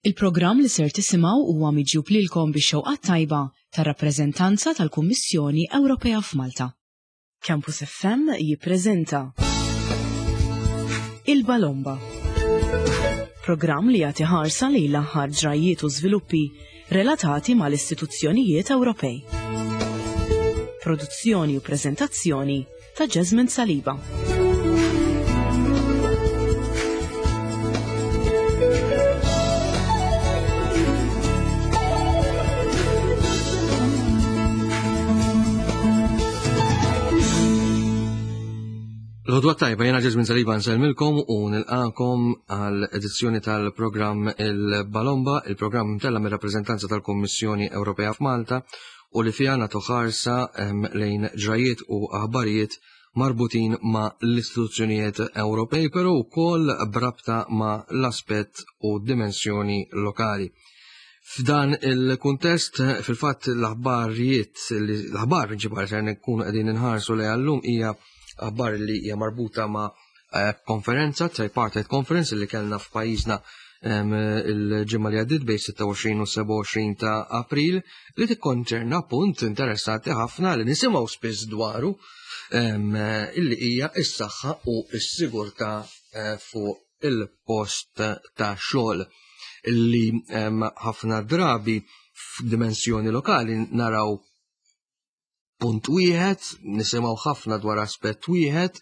Il-programm li ser tisimgħu huwa miġjub lilkom bix-xewqat tajba tar-rappreżentanza tal-Kummissjoni Ewropea f'Malta. Campus FM jippreżenta Il-Balomba. Programm li jagħti ħarsa lejn l-aħħar ġrajjiet u żviluppi relatati mal-istituzzjonijiet Ewropej. Produzzjoni u preżentazzjoni ta' Jasmine Saliba. L-ħodwa tajba jena Ġeżmin Saliba nsellmilkom u nilqakom għal edizzjoni tal-programm Il-Balomba, il-programm mtella mir-rappreżentanza tal-Kummissjoni Ewropea f'Malta u li fiha nagħtu ħarsa lejn ġrajiet u aħbarijiet marbutin ma' l-istituzzjonijiet Ewropej, però wkoll b'rabta ma' l-aspett u dimensjoni lokali. F'dan il-kuntest, fil-fatt l-aħbarijiet, l-aħbar prinċipali se nkunu qegħdin inħarsu lejha llum hija aħbar li hija marbuta ma' eh, konferenza, tripartite conference li kellna f'pajjiżna il-ġimgħa li għaddiet bejn 26 u 27 ta' April li tikkonċerna punt interessanti ħafna li nisimgħu spiss dwaru illi hija s-saħħa u s-sigurtà eh, fuq il-post ta' xogħol illi ħafna drabi f'dimensjoni lokali naraw punt wieħed, nisimgħu ħafna dwar aspett wieħed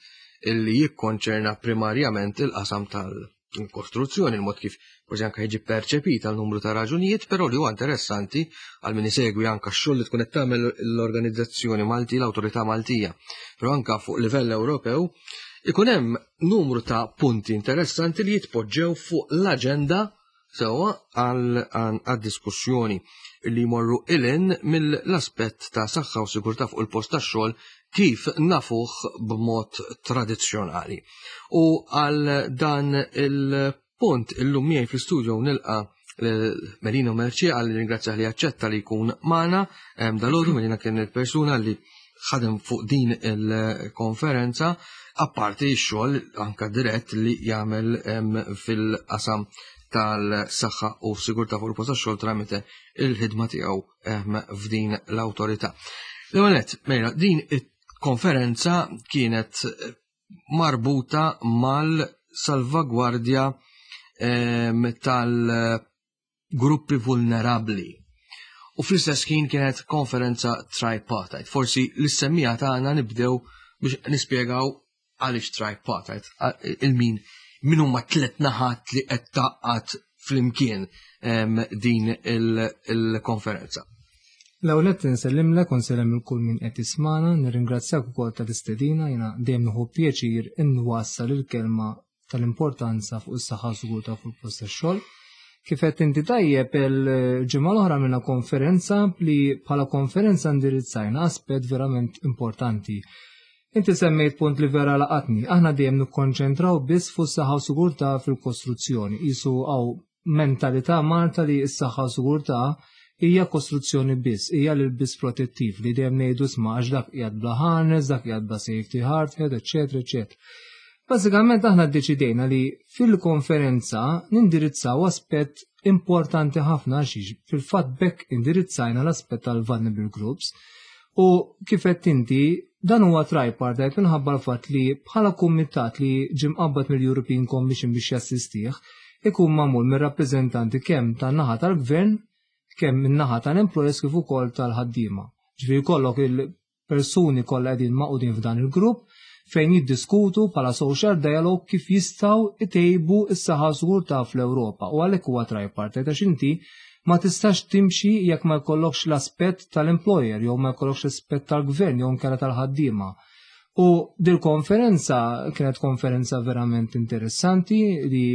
illi jikkonċerna primarjament il-qasam tal-kostruzzjoni, il-mod kif forsi anke jiġi perċepit għal numru ta' raġunijiet, però li huwa interessanti għal min isegwi anke x-xogħol li tkun qed tagħmel l-organizzazzjoni Malti, l-Awtorità Maltija, però anke fuq livell Ewropew, ikun hemm numru ta' punti interessanti li jitpoġġew fuq l-aġenda sewwa għad-diskussjoni li jmorru ilin mill-aspett ta' saħħa u sigurtà fuq il-post tax-xogħol kif nafuh b'mod tradizzjonali. U għal dan il-punt illum miegħi fl-istudio nilqa' Melino Merċi għal ringrazzjah li aċċetta li jkun magħna dalgħodu Melina kien il-persuna li ħadem fuq din il-konferenza apparti x-xogħol anka dirett li jagħmel fil-qasam tal-saħħa u sigurtà fuq il-post tax-xogħol tramite il-ħidma tiegħu f'din l-awtorità. L-ewwel nett, mela, din il-konferenza kienet marbuta mal-salvagwardja tal- gruppi vulnerabbli. U fl-istess ħin kienet konferenza tripartite. Forsi l-semmija tagħna nibdew biex nispjegaw għaliex tripartite, il-min min huma tlet naħat li qed taqqat flimkien din il-konferenza. L-ewwel qed insellimlek u nsellem il kull min qed jismana, nirringrazzjak ukoll tal-istedina, jiena dejjem nieħu pjaċir inwassal il-kelma tal-importanza fuq is-saħħa u sigurtà fuq il-post tax-xogħol. Kif qed inti tajjeb il-ġimgħa l-oħra minna konferenza li bħala konferenza indirizzajna aspett verament importanti. Inti semmejt punt li vera laqatni, aħna dejjem nikkonċentraw biss fuq saħħa u sigurtà fil-kostruzzjoni. Isu għaw mentalità Malta li s-saħħa u sigurtà hija kostruzzjoni biss, hija l-biss protettiv li dejjem ngħidu sma' għax dak qiegħed bla harness, dak qiegħed bla safety hard hat, eċetera, eċetera. Bażikament aħna ddeċidejna li fil-konferenza nindirizzaw aspett importanti ħafna għax fil-fatt bekk indirizzajna l-aspett tal-vulnerable groups u kif qed inti dan huwa tripartite minħabba l-fatt li bħala kumitat li ġie mqabbad mill-European Commission biex jassistih ikun magħmul mir-rappreżentanti kemm tan-naħa tal-gvern kemm min-naħa tal-employers kif ukoll tal-ħaddiema. Ġifieri jkollok il-persuni kollha qegħdin magħqudin f'dan il-grupp fejn jiddiskutu bħala social dialogue kif jistgħu itejbu s-saħħa u sigurtà fl-Ewropa u għalhekk huwa tripartite għax inti ma tistax timxi jekk ma jkollokx l-aspett tal-employer jew ma jkollokx l-aspett tal-gvern jew inkella tal-ħaddiema. U dil-konferenza kienet konferenza verament interessanti li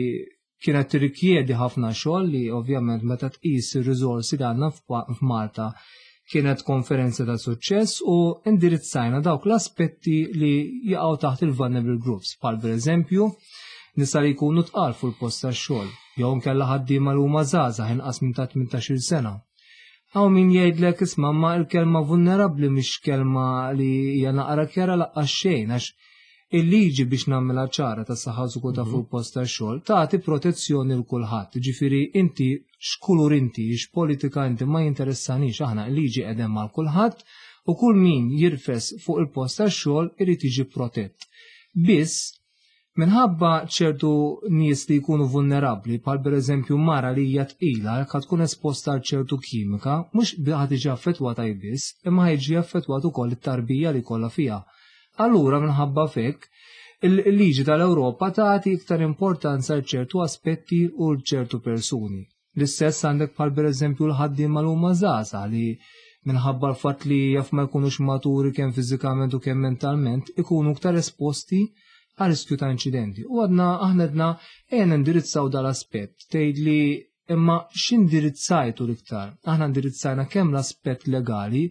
kienet tirrikjedi ħafna xogħol li ovvjament meta tqis ir-riżorsi li għandna f'Malta kienet konferenza ta' suċċess u indirizzajna dawk l-aspetti li jaqgħu taħt il-vulnerable groups, bħal pereżempju nisa li jkunu tqal fuq il-post tax-xogħol, jew inkella ħaddiema li huma żgħażagħ inqas minn ta' 18-il sena. Hawn min jgħidlek isma' ma l-kelma vulnerabbli mhix kelma li hija naqra kjara laqqas xejn għax. Il-liġi biex nagħmilha ċara ta' saħħa sigurtà fuq il-post tax-xogħol tagħti protezzjoni l kulħadd. Ġifieri inti x'kulur inti, x'politika inti ma jinteressanix aħna l-liġi qegħdem mal kulħadd u kull min jirfes fuq il-post tax-xogħol irid jiġi protett. Biss minħabba ċertu nies li jkunu vulnerabbli, bħal pereżempju mara li hija tqila jekk tkun esposta għal ċertu kimika, mhux ħa tiġi affettwata hi biss, imma ħa jiġi affettwat ukoll it-tarbija li jkollha fiha. Allura minħabba f'hekk, il-liġi tal-Ewropa tagħti iktar importanza għal ċertu aspetti u ċertu persuni. L-istess għandek bħal pereżempju l-ħaddiema li huma żgħażagħ li minħabba l-fatt li jaf ma jkunux maturi kemm fiżikament u kemm mentalment ikunu iktar esposti għal riskju ta' inċidenti. U għadna aħna għedna ejja nindirizzaw dal-aspett tgħid li imma x'indirizzajtu l-iktar? Aħna indirizzajna kemm l-aspett legali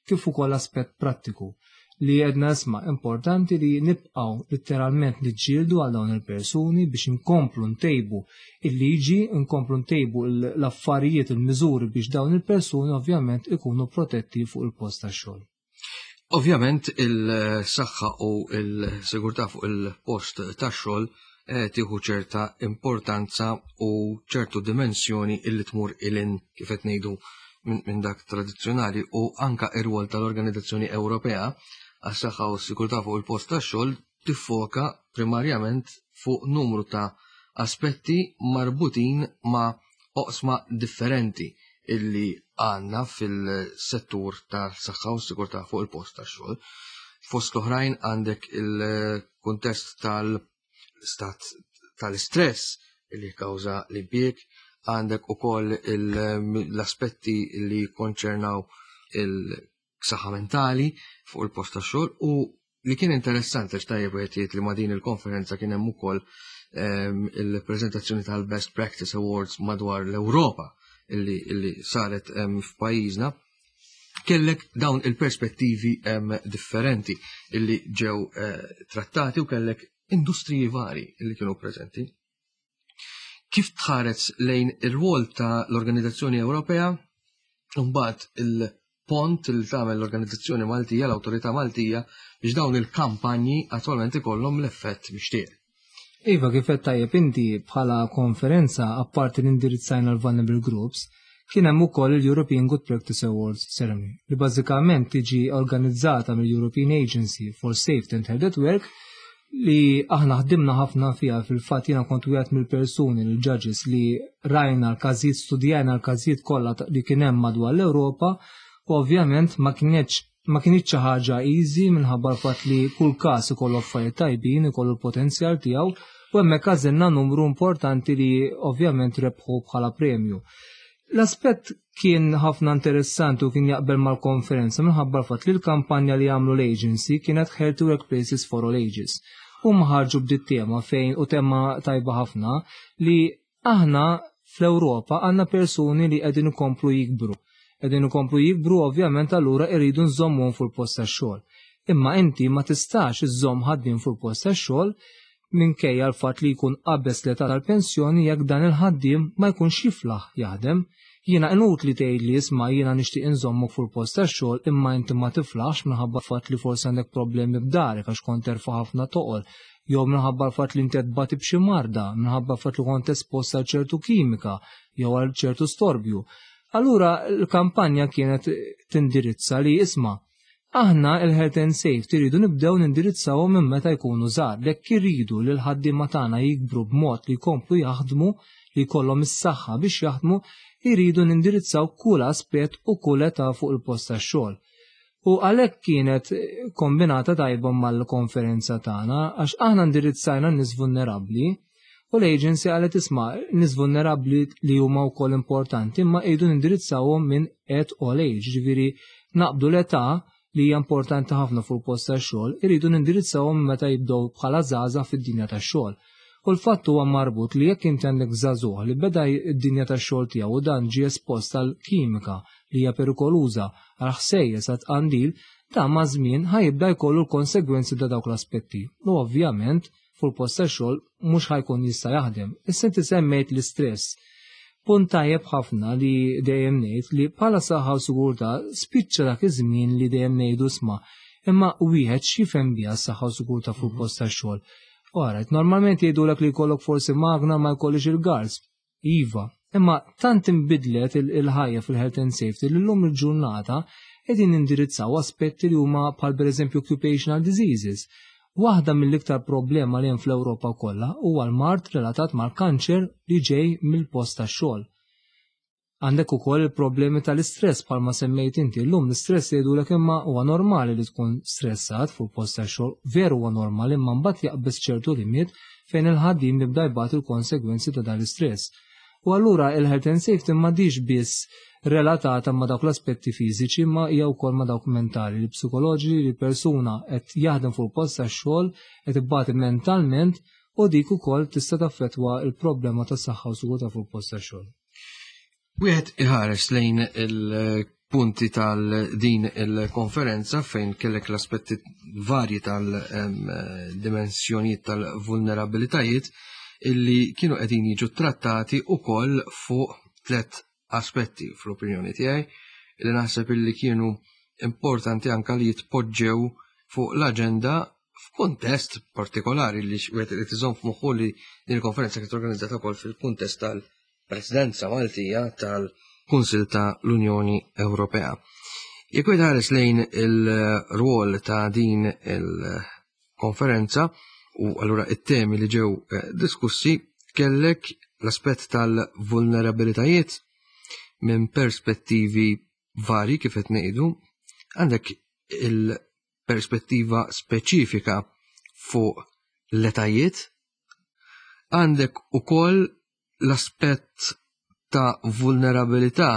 kif ukoll l-aspett prattiku li għedna isma' importanti li nibqgħu letteralment niġġieldu għal dawn il-persuni biex inkomplu ntejbu il-liġi, nkomplu ntejbu l-affarijiet, il-miżuri biex dawn il-persuni ovvjament ikunu protetti fuq il-post tax-xogħol. Ovvjament il-saħħa u l-sigurtà fuq il-post tax-xogħol eh, tieħu ċerta importanza u ċertu dimensjoni illi tmur ilin kif qed ngħidu minn dak tradizzjonali u anka ir-rwol tal-Organizzazzjoni Ewropea għas-saħħa u s-sigurtà fuq il-post tax-xogħol tiffoka primarjament fuq numru ta' aspetti marbutin ma' oqsma differenti illi għandna fil-settur tas-saħħa u s-sigurtà fuq il-post tax-xogħol. Fost l-oħrajn għandek il-kuntest tal-stat tal-istress li kawża l-impjieg, għandek ukoll l-aspetti li konċernaw il-saħħa mentali fuq il-post tax-xogħol u li kien interessanti għax tajjeb wieħed jgħid li ma' din il-konferenza kien hemm ukoll ehm, il-preżentazzjoni tal-Best Practice Awards madwar l-Ewropa illi, illi saret ehm, f'pajjiżna kellek dawn il-perspettivi ehm, differenti illi ġew eh, trattati u kellek industriji vari illi kienu preżenti. Kif tħares lejn ir-rwol ta' l-Organizzazzjoni Ewropea mbagħad il-pont li tagħmel l-Organizzazzjoni Maltija, l-Awtorità Maltija biex dawn il-kampanji attwalment ikollhom l-effett mixtieq. Iva, kif qed tajjeb inti bħala konferenza apparti li indirizzajna l-vulnerable groups, kien hemm ukoll il-European Good Practice Awards Ceremony li bażikament tiġi organizzata mill-European Agency for Safety and Health at Work li aħna ħdimna ħafna fiha fil-fatt jiena kont wieħed mill-persuni l-judges li rajna l-każijiet studjajna l-każijiet kollha li kien hemm madwar l-Ewropa u ovvjament ma kienx ma kienx xi ħaġa easy minħabba l-fatt li kull każ ikollu affarijiet tajbin, ikollu l-potenzjal tiegħu u hemmhekk għażilna numru importanti li ovvjament rebħu bħala premju. L-aspett kien ħafna interessanti u kien jaqbel mal-konferenza minħabba l-fatt li l-kampanja li għamlu l-agency kienet Healthy Workplaces for All Ages. Huma ħarġu b'dit tema fejn u tema tajba ħafna li aħna fl-Ewropa għandna persuni li qegħdin ikomplu jikbru. Qegħdin ikomplu jikbru ovvjament allura irridu nżommuhom fuq il-post tax-xogħol. Imma inti ma tistax iżżomm ħaddiem fuq il-post tax-xogħol minkejja l-fatt li jkun qabeż l-età tal-pensjoni jekk dan il-ħaddiem ma jkunx jiflaħ jaħdem. Jiena inutli tgħidli isma' jiena nixtieq inżommok fuq il-post tax-xogħol imma inti ma tiflaħx minħabba l-fatt li forsi għandek problemi b'darek għax kont terfa' ħafna toqol jew minħabba l-fatt li inti qed tbati b'xi marda, minħabba l-fatt li kont espost għal ċertu kimika jew għal ċertu storbju. Allura l-kampanja kienet tindirizza li isma' Aħna il-health and safety rridu nibdew nindirizzawhom minn meta jkunu żgħar. Jekk irridu li l-ħaddiema tagħna jikbru b'mod li jkomplu jaħdmu, li jkollhom is-saħħa biex jaħdmu, irridu nindirizzaw kull aspett u kull età fuq il-post tax-xogħol. U għalhekk kienet kombinata tajba mal-konferenza tagħna għax aħna ndirizzajna n-nies vulnerabbli u l-agency qalet isma' nies vulnerabbli li huma wkoll importanti imma qiegħdu nindirizzawhom minn at all age, ġifieri naqbdu l-età li hija importanti ħafna fuq il-post tax-xogħol, iridu nindirizzawhom meta jibdew bħala żgħażagħ fid-dinja tax-xogħol. U l-fatt huwa marbut li jekk inti għandek żagħżugħ li beda d-dinja tax-xogħol tiegħu u dan ġie espost għal kimika li hija perikoluża, għal ħsejjes, għal tqandil, dan maż-żmien ħa jibda jkollu l-konsegwenzi ta' dawk l-aspetti. U ovvjament fuq il-post tax-xogħol mhux ħa jkun jista' jaħdem. Issa inti semmejt l-istress. Punt tajjeb ħafna li dejjem ngħid li bħala saħħa u sigurtà spiċċa dak iż-żmien li dejjem ngħidu isma' Imma wieħed x'jifhem biha s-saħħa u sigurtà fuq post tax-xogħol. Alright, normalment jgħidulek li jkollok forsi magna ma jkollix il-guards. Iva, imma tant inbidlet il-ħajja fil-health and safety li llum il-ġurnata qegħdin nindirizzaw aspetti li huma bħal pereżempju occupational diseases. Waħda mill-iktar problema li hemm fl-Ewropa kollha huwa l-mard relatat mal-kanċer li ġej mill-post tax-xogħol. Għandek ukoll il-problemi tal-istress bħalma semmejt inti. Llum l-istress jgħidulek imma huwa normali li tkun stressat fuq post tax-xogħol, veru huwa normali imma mbagħad jaqbeż ċertu limit fejn il-ħaddiem jibda jbati l-konsegwenzi ta' dan l-istress. U allura il-health and safety m'għadix biss relatata ma' dawk l-aspetti fiżiċi ma hija wkoll ma' dawk mentali, li psikoloġi li persuna qed jaħdem fuq post tax-xogħol qed ibati mentalment u dik ukoll tista' taffettwa l-problema tas-saħħa u sigurtà fuq post tax-xogħol. Wieħed iħares lejn il-punti tal-din il-konferenza fejn kellek l-aspetti varji tal-dimensjonijiet tal-vulnerabilitajiet illi kienu qegħdin jiġu trattati ukoll fuq tlet aspetti fl-opinjoni tiegħi li naħseb illi kienu importanti anka li jitpoġġew fuq l-aġenda f'kuntest partikolari li wieħed irid iżomm f'moħħu li din il-konferenza kienet organizzata wkoll fil-kuntest tal- Presidenza Maltija tal-Kunsil ta' l-Unjoni Ewropea. Jekk wieħed ħares lejn il-rwol ta' din il-konferenza u allura it-temi li ġew eh, diskussi kellek l-aspett tal-vulnerabilitajiet minn perspettivi vari kif qed ngħidu, għandek il-perspettiva speċifika fuq l-etajiet, għandek ukoll l-aspett ta' vulnerabilità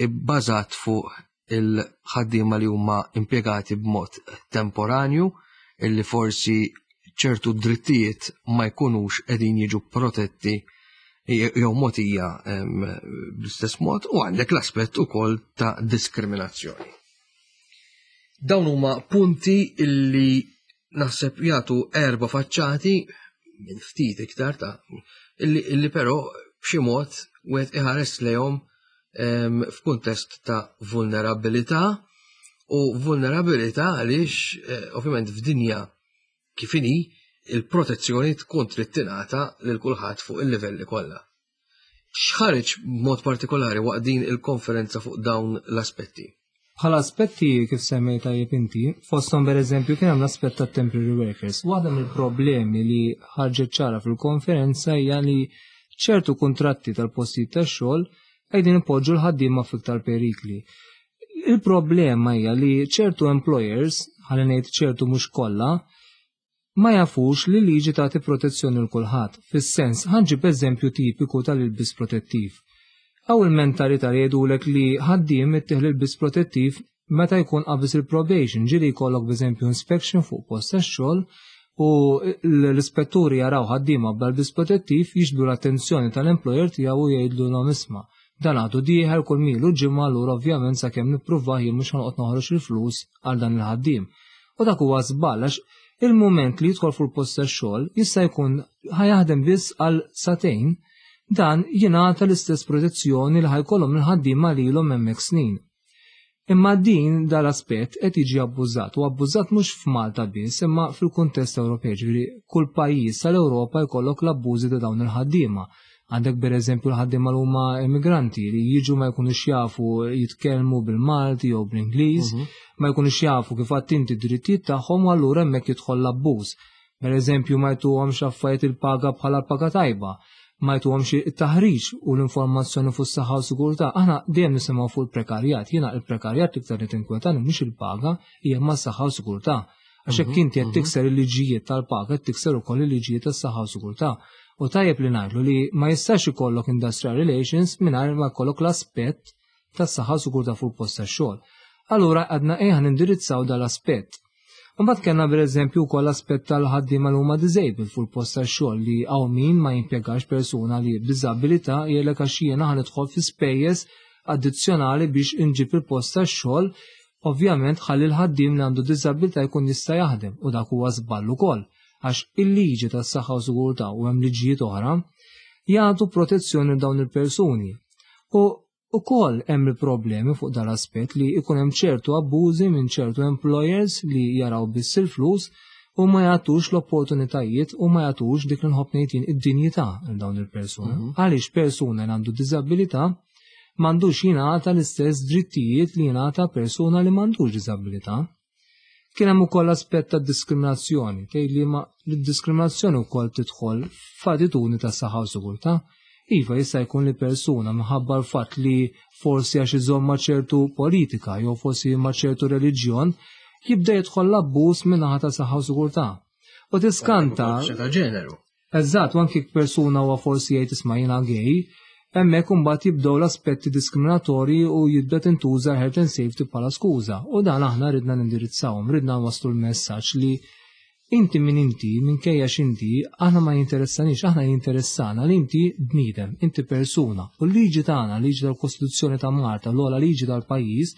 ibbażat fuq il-ħaddiema li huma impjegati b'mod temporanju illi forsi ċertu drittijiet ma jkunux qegħdin jiġu protetti jew mogħtija bl-istess mod u għandek l-aspett ukoll ta' diskriminazzjoni. Dawn huma punti illi naħseb jagħtu erba' faċċati minn ftit iktar ta' illi, illi però b'xi mod wieħed iħares lejhom f'kuntest ta' vulnerabilità u vulnerabilità għaliex eh, ovvjament f'dinja kif inhi il-protezzjoni tkun trid tingħata lil kulħadd fuq il-livelli kollha. X'ħareġ b'mod partikolari waqt din il-konferenza fuq dawn l-aspetti? Bħala aspetti kif semmejt tajjeb inti, fosthom pereżempju kien hemm l-aspett tat temporary workers. Waħda mill-problemi li ħarġet ċara fil-konferenza hija li ċertu kuntratti tal-postijiet tax-xogħol qegħdin ipoġġu l-ħaddiema f'iktar perikli. Il-problema hija li ċertu employers, ħalli ngħid ċertu mhux kollha, ma jafux li liġi tagħti protezzjoni l kulħadd. Fis-sens, ħa nġib eżempju tipiku tal-ilbis protettiv. Hawn il-mentalità li jgħidulek li ħaddiem ittih l-ilbis protettiv meta jkun qabeż il-probation, ġieli jkollok b'eżempju inspection fuq post tax-xogħol u l-ispetturi jaraw ħaddiema bl-ilbis protettiv jiġbdu l-attenzjoni tal-employer tiegħu u jgħidlulhom isma' dan għadu dieħel kull milu ġimgħa allura ovvjament sakemm nippruvah jien mhux ħa noqgħod noħroġ il-flus għal dan il-ħaddiem. U dak huwa żball għax il-mument li jidħol fuq il-post tax-xogħol jista' jkun ħa jaħdem biss għal sagħtejn, dan jingħata l-istess protezzjoni li ħa jkollhom il-ħaddiema li ilhom hemmhekk snin. Imma din dal-aspett qed jiġi abbużat u abbużat mhux f'Malta biss imma fil-kuntest Ewropej, ġifieri kull pajjiż tal-Ewropa jkollok l-abbużi ta' dawn il-ħaddiema. Għandek pereżempju l-ħaddiema li huma immigranti li jiġu ma jkunux jafu jitkellmu bil-Malti jew bl-Ingliż, ma jkunux jafu kif għadt inti d-drittijiet tagħhom u allura hemmhekk jidħol l-abbuż. Pereżempju ma jtuhomx affarijiet il-paga bħala paga tajba, ma jtuhomx it-taħriġ u l-informazzjoni fuq is-saħħa u sigurtà. Aħna dejjem nisimgħu fuq il-prekarjat. Jiena il-prekarjat l-iktar li tinkwetani mhux il-paga, hija ma s-saħħa u sigurtà. Għax jekk inti qed tikser il-liġijiet tal-paga, qed tikser ukoll il-liġijiet tas-saħħa u sigurtà. U tajjeb li ngħidlu li ma jistax ikollok industrial relations mingħajr ma jkollok l-aspett tas-saħħa u sigurtà fuq il-post tax-xogħol. Allura għadna ejja nindirizzaw dal-aspett. Imbagħad kellna pereżempju wkoll l-aspett tal-ħaddiema li huma disabled fuq il-post tax-xogħol li hawn min ma jimpjegax persuna li b'diżabilità jgħidlek għax jiena ħa nidħol fi spejjeż addizzjonali biex inġib il-post tax-xogħol ovvjament ħalli l-ħaddiem li għandu diżabilità jkun jista' jaħdem u dak huwa żball ukoll għax il-liġi tas-saħħa u sigurtà u hemm liġijiet oħra jagħtu protezzjoni dawn il-persuni. U Ukoll hemm il-problemi fuq dal-aspett li jkun hemm ċertu abbużi minn ċertu employers li jaraw biss il-flus u ma jagħtux l-opportunitajiet u ma jagħtux dik li nħobb ngħid jien id-dinjità lil dawn il-persuna. Għaliex persuna li għandu diżabilità m'għandux jingħata l-istess drittijiet li jingħata persuna li m'għandux diżabilità. Kien hemm ukoll aspett ta' diskriminazzjoni, tgħid li ma l-diskriminazzjoni wkoll tidħol f'attitudni ta' saħħa u sigurtà. Iva jista' jkun li persuna minħabba l-fatt li forsi għax iżomm ma' ċertu politika jew forsi ma' ċertu reliġjon jibda jidħol l-abbuż min-naħa ta' saħħa u sigurtà. U tiskanta. Ta' ġeneru. Eżatt, u anki persuna huwa forsi jgħid isma' jiena gay, hemmhekk imbagħad jibdew l-aspetti diskriminatorji u jibda tintuża health and safety bħala skuża. U dan aħna ridna nindirizzawhom, ridna nwasslu l-messaġġ li inti min inti, minkejja x'inti, aħna ma jinteressanix, aħna jinteressana li inti bniedem, inti persuna. U l-liġi tagħna, liġi tal-Kostituzzjoni ta' Malta, l-ogħla liġi tal-pajjiż,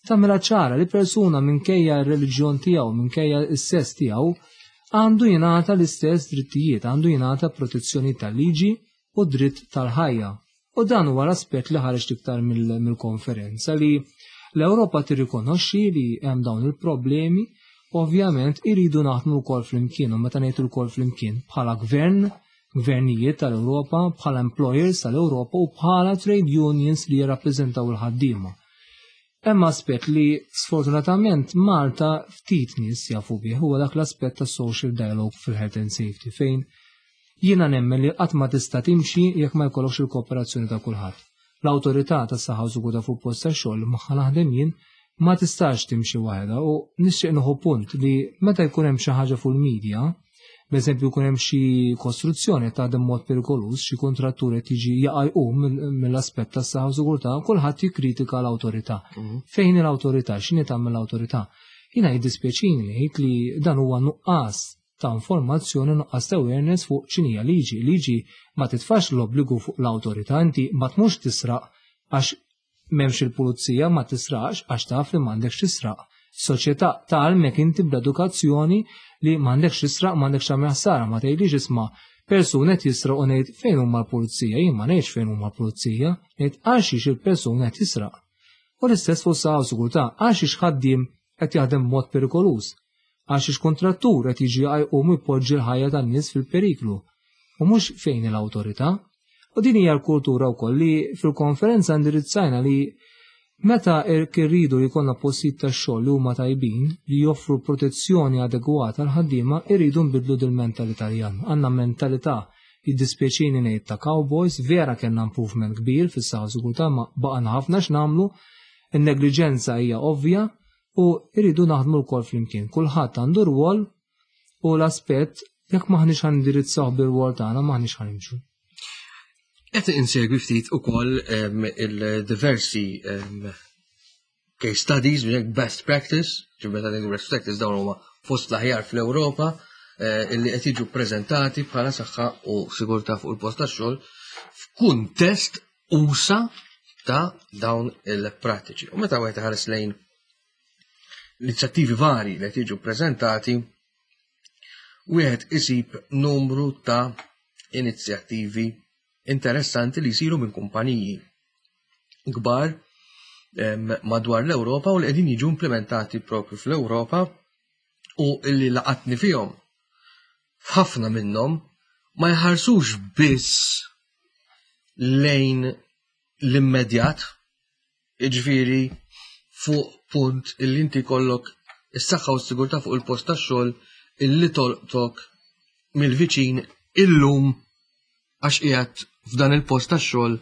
tagħmilha ċara li persuna minkejja r-reliġjon tiegħu, minkejja s-sess tiegħu, għandu jingħata l-istess drittijiet, għandu jingħata protezzjoni tal-liġi u dritt tal-ħajja. U dan huwa l-aspett li ħareġ iktar mill-konferenza li l-Ewropa tirrikonoxxi li hemm dawn il-problemi, ovvjament iridu naħdmu wkoll flimkien u meta ngħid ukoll flimkien bħala gvern, gvernijiet tal-Ewropa, bħala employers tal-Ewropa u bħala trade unions li jirrappreżentaw il-ħaddiema. Hemm aspett li sfortunatament Malta ftit nies jafu bih huwa dak l-aspett ta' social dialogue fil-health and safety fejn jiena nemmen li qatt ma tista' timxi jekk ma jkollokx il-kooperazzjoni ta' kulħadd. L-awtorità tas-saħħa u sigurtà fuq post tax-xogħol magħha naħdem jien ma tistax timxi waħedha u nixtieq nieħu punt li meta jkun hemm xi ħaġa fuq il-media, b'eżempju jkun hemm xi kostruzzjoni qed taħdem mod perikoluż, xi kontrattur qed jiġi jaqa' jqum mill-aspett tas-saħħa u sigurtà, kulħadd jikkritika l-awtorità. Fejn l-awtorità? X'inhi tagħmel l-awtorità? Jiena jiddispjaċini ngħid li dan huwa nuqqas ta' informazzjoni, nuqqas ta' awareness fuq x'inhija liġi. Liġi ma titfax l-obbligu fuq l-awtorità, inti ma tmurx tisraq għax m'hemmx il-pulizija, ma tisraqx għax taf li m'għandekx tisraq. Soċjetà tgħallmek inti bl-edukazzjoni li m'għandekx tisraq, m'għandekx tagħmel ħsara, ma tgħidlix isma' persuna qed jisraq u ngħid fejn huma l-pulizija, jien ma ngħidx fejn huma l-pulizija, ngħid għal xiex il-persuna qed jisraq. U l-istess fuq saħħa u sigurtà, għal xiex ħaddiem qed jaħdem b'mod perikoluż, għal xiex kontrattur qed jiġi jqum u jpoġġi l-ħajja tan-nies fil-periklu, u mhux fejn l-awtorità. U din hija l-kultura wkoll li fil-konferenza indirizzajna li meta irridu li jkollna postijiet tax-xogħol li huma tajbin, li joffru protezzjoni adegwata għal ħaddiema, irridu nbidlu dil-mentalità li għandna. Għandna mentalità jiddispjaċini ngħid ta' cowboys, vera kellna improvement kbir fis-saħħa u sigurtà, ma baqgħna ħafna x'nagħmlu, in-negliġenza hija ovvja u irridu naħdmu wkoll flimkien. Kulħadd għandu rwol u l-aspett jekk maħniex ħa nindirizzaw bir-rwol tagħna maħniex ħa nimxu. Qed insegwi ftit ukoll il-diversi case studies, best practice, ġifieri meta ngħidu best practice dawn huma fost l-aħjar fl-Ewropa illi qed jiġu ppreżentati bħala saħħa u sigurtà fuq il-post tax-xogħol f'kuntest usa ta' dawn il-prattiċi. U meta wieħed iħares lejn inizjattivi vari li qed jiġu ppreżentati, wieħed isib numru ta' inizjattivi interessanti li jsiru minn kumpaniji kbar madwar l-Ewropa u li qegħdin jiġu implementati propju fl-Ewropa u illi laqatni fihom. Ħafna minnhom ma jħarsux biss lejn l-immedjat, jiġifieri fuq punt illi inti jkollok is-saħħa u s-sigurtà fuq il-post tax-xogħol illi tolqtok mill-viċin illum għax qiegħed f'dan il-post tax-xogħol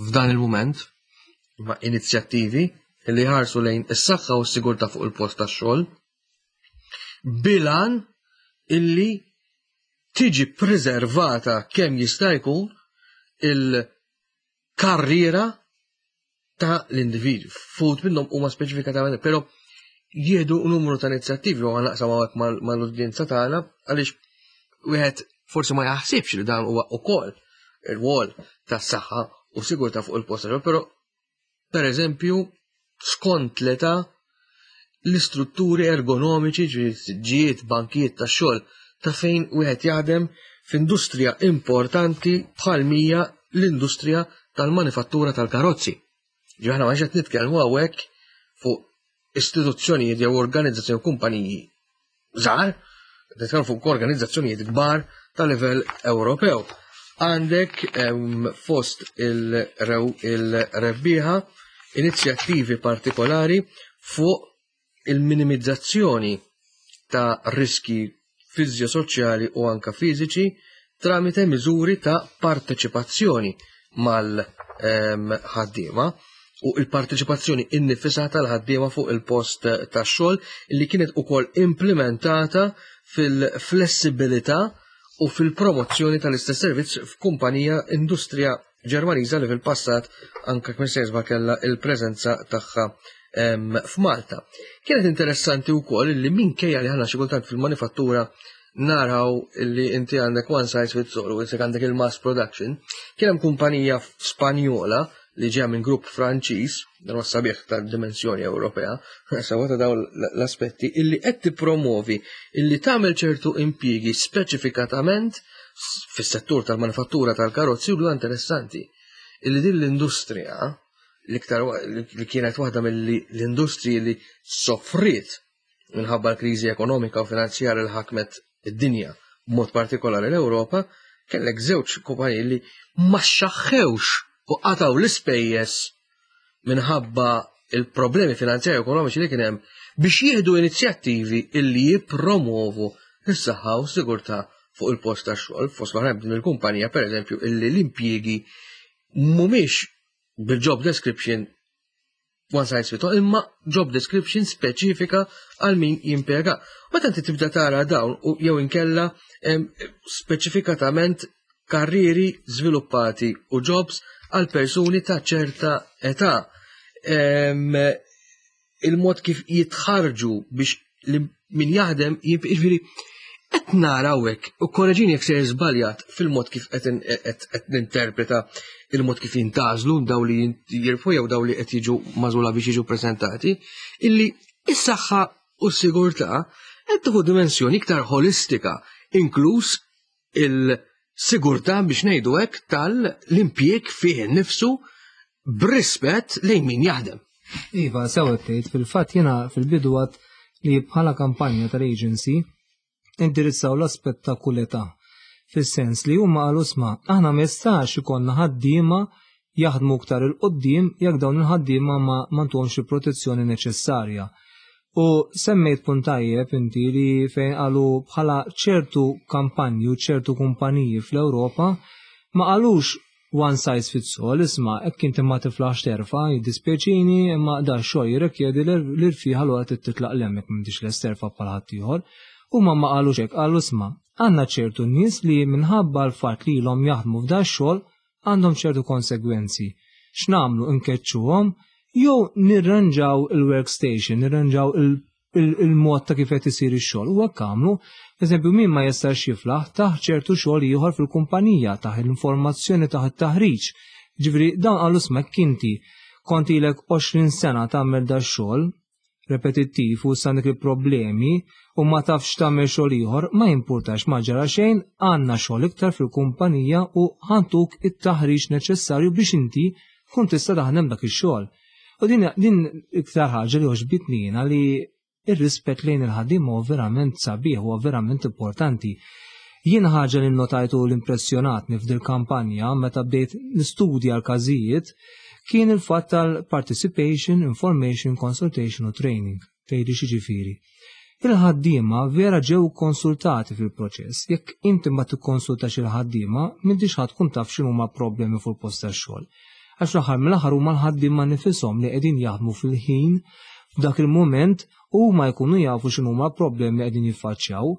f'dan il-mument, ma' inizjattivi li jħarsu lejn is-saħħa u s-sigurtà fuq il-post tax-xogħol bilan illi tiġi preservata kemm jista' jkun il-karriera ta' l-individwu. Fut minnhom huma speċifikatament, però jieħdu numru ta' inizjattivi u naqsam hawnhekk mal-udjenza tagħna għaliex wieħed forsi ma jaħsibx li dan huwa ukoll ir-rwol tas-saħħa u sigurtà fuq il-post tax-xogħol, però pereżempju skont l-età l-istrutturi ergonomiċi, ġifieri siġġijiet, bankijiet tax-xogħol ta' fejn wieħed jaħdem f'industrija importanti bħal mija l-industrija tal-manifattura tal-karozzi. Ġi aħna ma qed nitkellmu hawnhekk fuq istituzzjonijiet jew organizzazzjoni kumpaniji żgħar, nitkellmu fuq organizzazzjonijiet kbar ta' livell Ewropew. Għandek fost il-rebbieħa inizjattivi partikolari fuq il-minimizzazzjoni ta' riski fiżjosoċjali u anka fiżiċi tramite miżuri ta' parteċipazzjoni mal-ħaddiema u il-parteċipazzjoni innifisha tal-ħaddiema fuq il-post tax-xogħol li kienet ukoll implementata fil-flessibilità u fil-promozzjoni tal-istess servizz f'kumpanija industrija Ġermaniża li fil-passat anke kien sejżba kellha il-preżenza tagħha f'Malta. Kienet interessanti wkoll li minkejja li ħana xi kultant fil-manifattura naraw li inti għandek one size fits all u isek għandek il-mass production, kien hemm kumpanija Spanjola li ġeja minn grupp Franċiż, dan huwa sabiħ ta' dimensjoni Ewropea, sewa ta' dawn l-aspetti, illi qed tippromovi illi tagħmel ċertu impjiegi speċifikatament fis-settur tal-manifattura tal-karozzi u interessanti illi din l-industrija l-iktar li kienet waħda mill-industriji li soffriet minħabba l-kriżi ekonomika u finanzjarja li ħakmet id-dinja, b'mod partikolari l-Ewropa, kellek żewġ kumpaniji li ma xaħħewx u qataw l-ispejjeż minħabba il-problemi finanzjarji u ekonomiċi li kien hemm biex jieħdu inizjattivi illi jippromovu s-saħħa u s-sigurtà fuq il-post tax-xogħol. Fost l-oħrajn din il-kumpanija pereżempju illi l-impjiegi mhumiex bil-job description one size fits all, imma job description speċifika għal min jimpjega. Meta inti tibda tara dawn u jew inkella speċifikatament karrieri żviluppati u jobs għal persuni ta' ċerta età. Il-mod kif jitħarġu biex li min jaħdem jiġifieri qed naraw hekk u korreġini jekk se żbaljat fil-mod kif qed ninterpreta il-mod kif jintgħażlu daw li jirfu jew daw li qed jiġu magħżula biex jiġu preżentati, illi is-saħħa u s-sigurtà qed tieħu dimensjoni iktar ħolistika, inkluż il-sigurtà biex ngħidu hekk tal-impjieg fih innifsu b'rispett lejn min jaħdem. Iva, sew tgħid, fil-fatt jiena fil-bidu għad li bħala kampanja tal-agency indirizzaw l-aspett ta' kull età. Fis-sens li huma qalu sma' aħna ma jistax ikollna ħaddiema jaħdmu iktar 'il quddiem jekk dawn il-ħaddiema ma m'għandhomx il-protezzjoni neċessarja. U semmejt punt tajjeb inti li fejn qalu bħala ċertu kampanji u ċertu kumpaniji fl-Ewropa ma qalux one size fits all, isma' hekk inti ma tiflaħx terfa', jiddispjaċini imma da x-xogħol jirrikjedi l-irfieħ allura trid titlaq 'l hemm jekk m'intix lest terfa' bħal ħaddieħor. Huma ma qalux hekk, qalu isma' għandna ċertu nies li minħabba l-fatt li ilhom jaħdmu f'da x-xogħol għandhom ċertu konsegwenzi. X'nagħmlu nkeċċuhom jew nirranġaw il-workstation, nirranġaw il-mod ta' kif qed isir ix-xogħol. U hekk għamlu, eżempju min ma jistax jiflaħ taħ ċertu xogħol ieħor fil-kumpanija, taħ l-informazzjoni, taħ it-taħriġ. Ġifieri dawn qalu smek inti kont ilek 20 sena tagħmel da xogħol repetittiv u issa għandek il-problemi u ma tafx tagħmel xogħol ieħor, ma jimpurtax ma ġara xejn, għandna xogħol iktar fil-kumpanija u ħantuk it-taħriġ neċessarju biex inti tkun tista' taħdem dak ix-xogħol. U din, din iktar ħaġa li għoġbitni jiena li ir-rispett lejn il-ħaddiem huwa verament sabiħ, huwa verament importanti. Jien ħaġa li notajtu l-impressjonatni f'dil kampanja meta bdejt nistudja l-każijiet kien il-fatt tal-participation, information, consultation u training. Tgħidli x'jiġifieri. Il-ħaddiema vera ġew konsultati fil-proċess. Jekk inti ma tikkonsultax il-ħaddiema, m'intix ħa tkun taf x'inhuma problemi fuq il-post tax-xogħol. Għax fl-aħħar mill-aħħar huma l-ħaddiema nifisom li qegħdin jaħdmu fil-ħin f'dak il-mument u huma jkunu jafu x'inhuma problemi li qegħdin jiffaċċjaw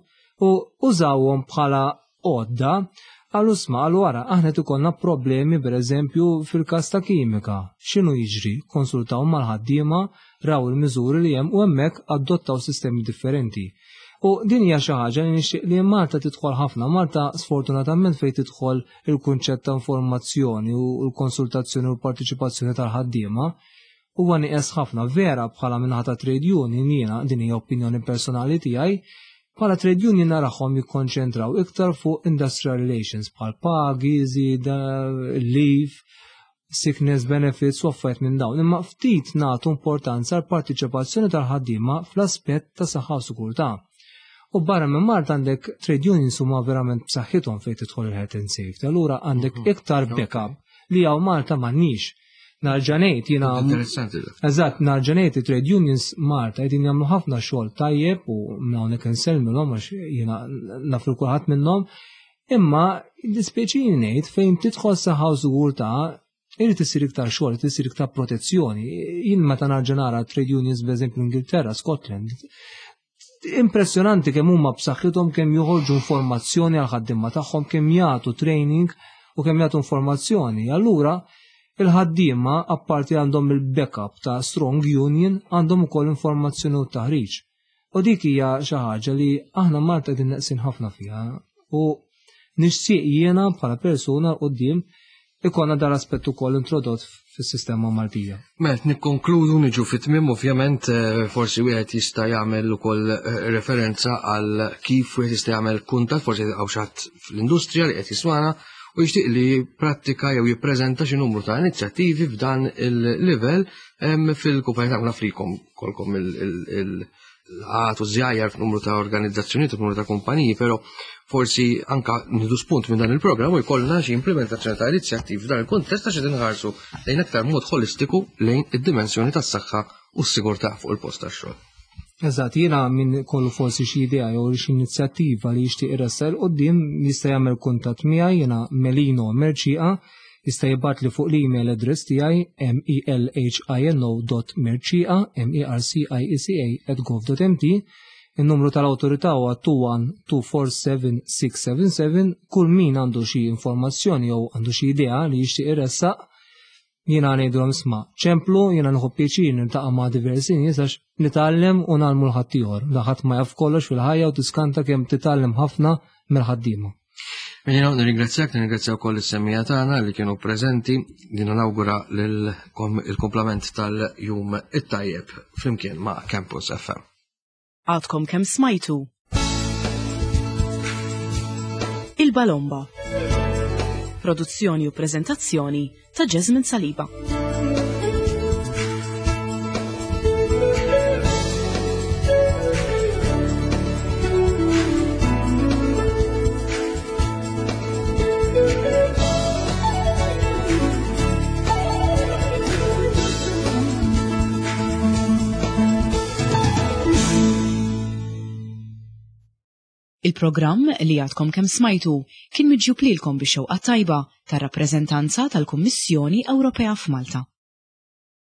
u użawhom bħala għodda qalu sma qalu ara aħna qed ikollna problemi pereżempju fil-każ ta' kimika. X'inhu jiġri? Konsultaw mal-ħaddiema, raw il-miżuri li hemm u hemmhekk adottaw sistemi differenti. U din hija xi ħaġa li nixtieq li Malta tidħol ħafna. Malta sfortunatament fejn tidħol il-kunċett ta' informazzjoni u l-konsultazzjoni u l-partiċipazzjoni tal-ħaddiema huwa nieqes ħafna. Vera bħala minnaħa ta' trade union jiena din hija opinjoni personali tiegħi, bħala trade union narahom jikkonċentraw iktar fuq industrial relations bħal pagi, żieda, leave. sickness benefits u affarijiet minn dawn, imma ftit nagħtu importanza għal partiċipazzjoni tal-ħaddiema fl-aspett ta' saħħa u sigurtà. U barra minn Malta għandek trade unions huma verament b'saħħithom fejn tidħol il-health and safety. Allura għandek mhm. iktar backup li hawn Malta m'għandniex. Narġanejt jiena. Interessanti. Eżatt, narġanejt trade unions Malta qegħdin jagħmlu ħafna xogħol tajjeb u hawnhekk insellmilhom għax jiena naf kulħadd minnhom. Imma dispjaċini ngħid fejn tidħol saħħa u sigurtà irid isir iktar xogħol, irid isir iktar protezzjoni. Jien meta narġa' nara trade unions b'eżempju Ingilterra, Scotland, impressjonanti kemm huma b'saħħithom kemm joħorġu informazzjoni għal ħaddiema tagħhom, kemm jagħtu training u kemm jagħtu informazzjoni. Allura il-ħaddiema apparti għandhom il-backup ta' strong union għandhom ukoll informazzjoni u taħriġ. U dik hija xi ħaġa li aħna Malta qegħdin neqsin ħafna fiha u nixtieq jiena bħala persuna quddiem ikonna dar aspett ukoll introdott fis-sistema Maltija. Mela nikkonkludu niġu fit-tmiem ovvjament eh, forsi wieħed jista' jagħmel ukoll eh, referenza għal kif wieħed jista' jagħmel kuntatt forsi hawn xi fl-industrija li qed jismana u jixtieq li prattika jew jippreżenta xi numru ta' inizjattivi f'dan il-livell fil-kumpanija ta' nafrikom kolkom il-għat u żjajjar f'numru ta' organizzazzjonijiet u numru ta' kumpaniji, però forsi anka nidu spunt minn dan il-programm u jkollna xi implementazzjoni ta' inizjattivi f'dan il-kuntest għax qed inħarsu lejn aktar mod holistiku lejn id-dimensjoni tas-saħħa u s-sigurtà fuq il-post tax-xogħol. Eżatt, jiena min kollu forsi xi idea jew xi inizjattiva li jixtieq iressel quddiem jista' jagħmel kuntatt miegħi jiena Melino Merċieqa Jista' jibgħatli fuq l-email address tiegħi melhino.mercieca, M-E-R-C-I-E-C-A, at gov.mt. In-numru tal-awtorità huwa 21247677. Kull min għandu xi informazzjoni jew għandu xi idea li jixtieq iressaq, jiena ngħidulhom isma' ċemplu, jiena nieħu pjaċir niltaqa' ma' diversi nies għax nitgħallem u ngħallmu 'l ħaddieħor. La ħadd ma jaf kollox fil-ħajja u tiskanta kemm titgħallem ħafna mill-ħaddiema. Minina nirringrazzjak, nirringrazzja wkoll is-semmija tagħna li kienu preżenti, li nawgura il-komplament tal-jum it-tajjeb flimkien ma' Campus FM. Għadkom kemm smajtu Il-Balomba. Produzzjoni u prezentazzjoni ta' Jasmine Saliba. Il-programm li għadkom kemm smajtu kien miġjub lilkom bix-xewqa tajba tar-rappreżentanza tal-Kummissjoni Ewropea f'Malta.